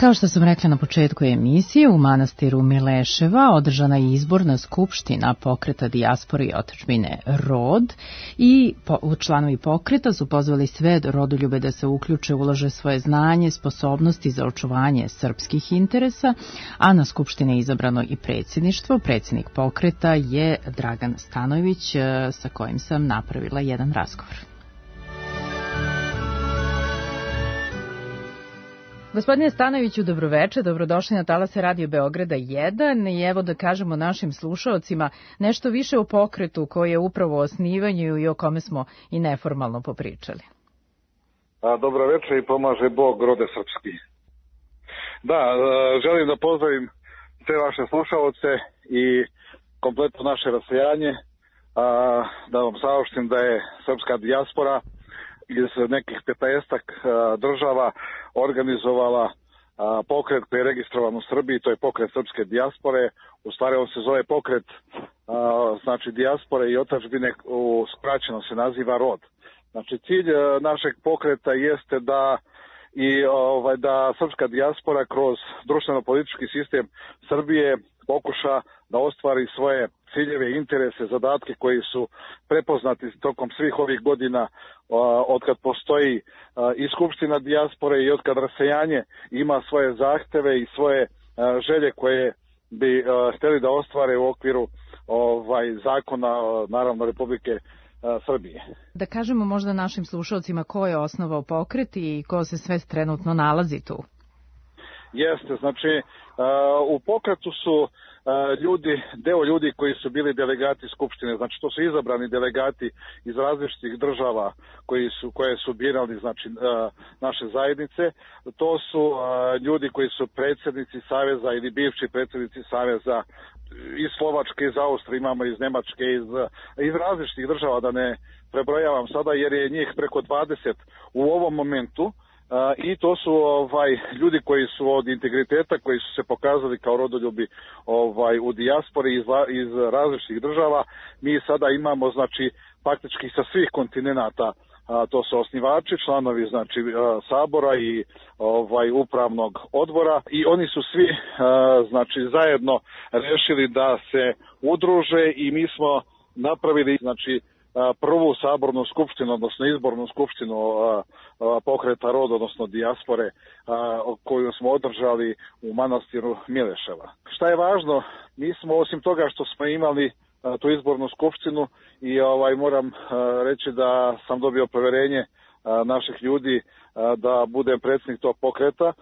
Kao što sam rekla na početku emisije, u manastiru Mileševa održana je izborna skupština pokreta dijaspore i otadžbine ROD i članovi pokreta su pozvali sve rodoljube da se uključe, ulože svoje znanje, sposobnosti za očuvanje srpskih interesa, a na skupštini je izabrano i predsjedništvo. Predsjednik pokreta je Dragan Stanojević, sa kojim sam napravila jedan razgovor. Gospodine Stanojeviću, dobroveče, dobrodošli na talase Radio Beograda 1 i evo da kažemo našim slušaocima nešto više o pokretu koji je upravo u osnivanju i o kome smo i neformalno popričali. Dobroveče i pomaže Bog rode srpski. Da, želim da pozdravim sve vaše slušaoce i kompletno naše rasejanje, da vam saopštim da je srpska dijaspora iz nekih 15-ak država organizovala pokret koji je registrovan u Srbiji, to je pokret srpske dijaspore. U stvari on se zove pokret znači dijaspore i otadžbine, skraćeno se naziva ROD. Znači cilj našeg pokreta jeste da da srpska dijaspora kroz društveno-politički sistem Srbije pokuša da ostvari svoje ciljeve, interese, zadatke koji su prepoznati tokom svih ovih godina od kad postoji i Skupština dijaspore i od kad rasejanje ima svoje zahteve i svoje želje koje bi htjeli da ostvare u okviru zakona, naravno, Republike Srbije. Da kažemo možda našim slušalcima ko je osnovao pokret i ko se sve trenutno nalazi tu. Jeste, znači u pokretu su deo ljudi koji su bili delegati Skupštine, znači to su izabrani delegati iz različitih država koje su birali, znači naše zajednice. To su ljudi koji su predsjednici Saveza ili bivši predsjednici Saveza iz Slovačke, iz Austrije, imamo iz Nemačke, iz različitih država, da ne prebrojavam sada jer je njih preko 20 u ovom momentu. I to su ljudi koji su od integriteta, koji su se pokazali kao rodoljubi u dijaspori iz različitih država. Mi sada imamo, znači, faktički sa svih kontinenata, to su osnivači, članovi, znači, sabora i upravnog odbora, i oni su svi, znači, zajedno rešili da se udruže i mi smo napravili, znači, prvu sabornu skupštinu, odnosno izbornu skupštinu pokreta ROD, odnosno dijaspore, koju smo održali u manastiru Mileševa. Šta je važno, mi smo, osim toga što smo imali tu izbornu skupštinu, i moram reći da sam dobio poverenje naših ljudi da budem predsjednik tog pokreta,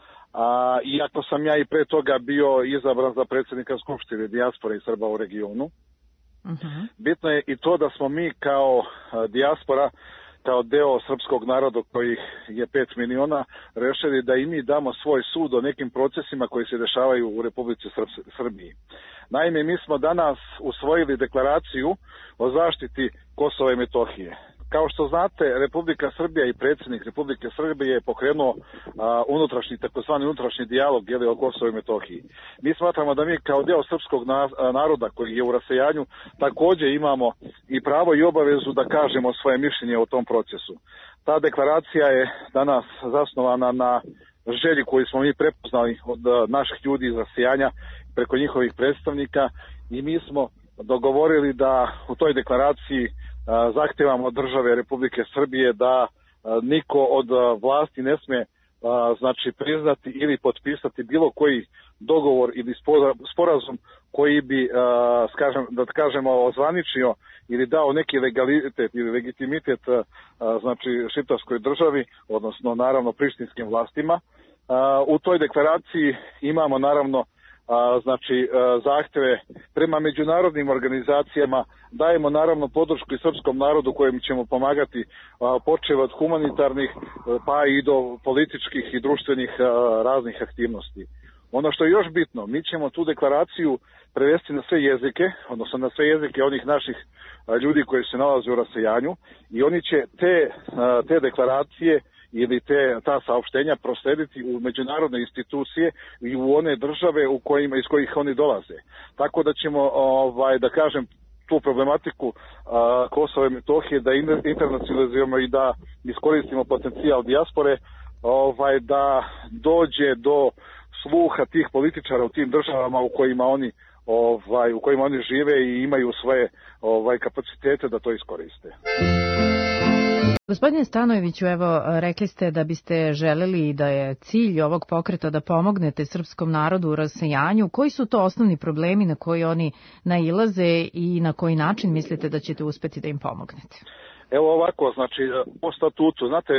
iako sam ja i pre toga bio izabran za predsjednika skupštine dijaspore i Srba u regionu. Bitno je i to da smo mi kao dijaspora, kao deo srpskog naroda kojih je 5 miliona, rešili da i mi damo svoj sud o nekim procesima koji se dešavaju u Republici Srbiji. Naime, mi smo danas usvojili deklaraciju o zaštiti Kosova i Metohije. Kao što znate, Republika Srbija i predsjednik Republike Srbije je pokrenuo takozvani unutrašnji dijalog o Kosovu i Metohiji. Mi smatramo da mi kao deo srpskog naroda koji je u rasejanju također imamo i pravo i obavezu da kažemo svoje mišljenje o tom procesu. Ta deklaracija je danas zasnovana na želji koju smo mi prepoznali od naših ljudi iz rasejanja preko njihovih predstavnika, i mi smo dogovorili da u toj deklaraciji zahtevamo od države Republike Srbije da niko od vlasti ne sme znači priznati ili potpisati bilo koji dogovor ili sporazum koji bi da kažemo ozvaničio ili dao neki legalitet ili legitimitet znači šiptarskoj državi, odnosno naravno prištinskim vlastima. U toj deklaraciji imamo naravno znači zahteve prema međunarodnim organizacijama, dajemo naravno podršku i srpskom narodu kojem ćemo pomagati, počev od humanitarnih pa i do političkih i društvenih raznih aktivnosti. Ono što je još bitno, mi ćemo tu deklaraciju prevesti na sve jezike, odnosno na sve jezike onih naših ljudi koji se nalaze u rasejanju, i oni će te deklaracije ili ta saopštenja proslediti u međunarodne institucije i u one države iz kojih oni dolaze. Tako da ćemo, da kažem, tu problematiku Kosova i Metohije da internacionalizujemo i da iskoristimo potencijal dijaspore, da dođe do sluha tih političara u tim državama u kojima oni žive i imaju svoje kapacitete da to iskoriste. Gospodine Stanojeviću, evo, rekli ste da biste želeli da je cilj ovog pokreta da pomognete srpskom narodu u rasejanju. Koji su to osnovni problemi na koji oni nailaze i na koji način mislite da ćete uspeti da im pomognete? Evo ovako, znači, po statutu, znate,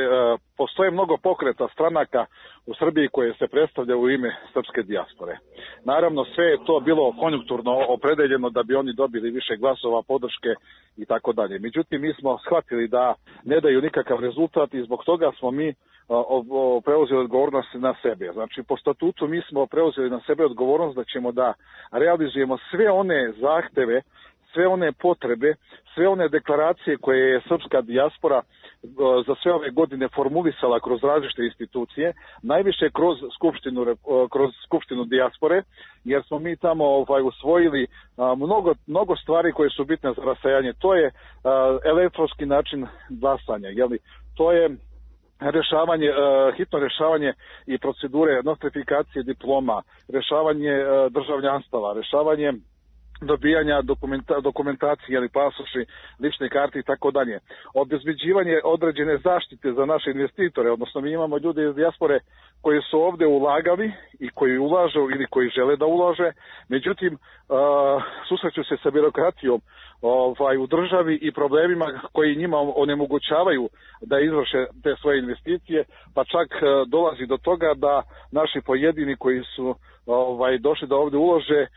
postoje mnogo pokreta stranaka u Srbiji koje se predstavljaju u ime srpske dijaspore. Naravno, sve je to bilo konjunkturno opredeljeno da bi oni dobili više glasova, podrške i tako dalje. Međutim, mi smo shvatili da ne daju nikakav rezultat i zbog toga smo mi preuzeli odgovornost na sebe. Znači, po statutu mi smo preuzeli na sebe odgovornost da ćemo da realizujemo sve one zahteve, sve one potrebe, sve one deklaracije koje je srpska dijaspora za sve ove godine formulisala kroz različite institucije, najviše kroz skupštinu dijaspore, jer smo mi tamo usvojili mnogo stvari koje su bitne za rasejanje. To je elektronski način glasanja, to je hitno rešavanje i procedure nostrifikacije diploma, rešavanje državljanstava, rešavanje dobijanja dokumentacije ili pasoši, lične karte i tako dalje. Obezbeđivanje određene zaštite za naše investitore, odnosno mi imamo ljude iz dijaspore koji su ovde ulagali i koji ulažu ili koji žele da ulaže, međutim susreću se sa birokratijom u državi i problemima koji njima onemogućavaju da izvrše te svoje investicije, pa čak dolazi do toga da naši pojedini koji su došli da ovde ulože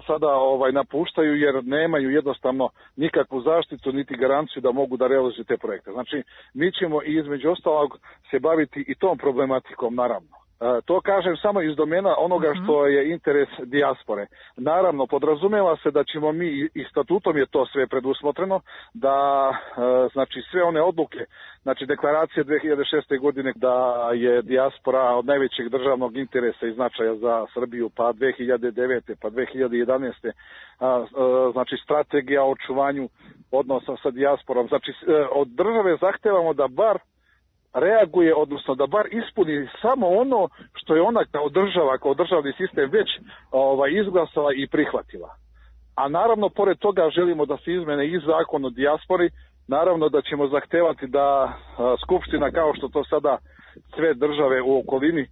sada napuštaju jer nemaju jednostavno nikakvu zaštitu niti garanciju da mogu da realizuju te projekte. Znači, mi ćemo i između ostalog se baviti i tom problematikom, naravno. To kažem samo iz domena onoga što je interes dijaspore. Naravno, podrazumeva se da ćemo mi, i statutom je to sve predusmotreno, da znači sve one odluke, znači deklaracije 2006. godine da je dijaspora od najvećeg državnog interesa i značaja za Srbiju, pa 2009. pa 2011. Znači strategija o očuvanju odnosa sa dijasporom. Znači od države zahtevamo da bar reaguje, odnosno da bar ispuni samo ono što je ona kao država, kao državni sistem već izglasala i prihvatila. A naravno, pored toga želimo da se izmene i zakon o dijaspori, naravno da ćemo zahtevati da Skupština, kao što to sada sve države u okolini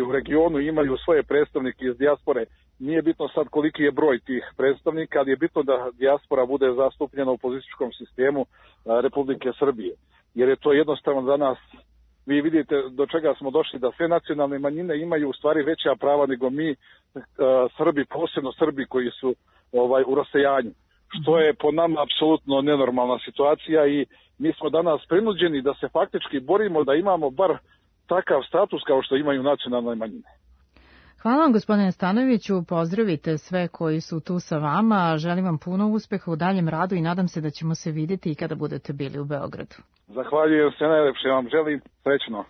u regionu imaju svoje predstavnike iz dijaspore. Nije bitno sad koliki je broj tih predstavnika, ali je bitno da dijaspora bude zastupljena u političkom sistemu Republike Srbije. Jer je to jednostavno za nas, vi vidite do čega smo došli, da sve nacionalne manjine imaju u stvari veća prava nego mi Srbi, posebno Srbi koji su u rasejanju. Što je po nama apsolutno nenormalna situacija i mi smo danas prinuđeni da se faktički borimo da imamo bar takav status kao što imaju nacionalne manjine. Hvala vam, gospodine Stanojeviću, pozdravite sve koji su tu sa vama, želim vam puno uspeha u daljem radu i nadam se da ćemo se vidjeti i kada budete bili u Beogradu. Zahvaljujem se, najlepše vam želim, srećno.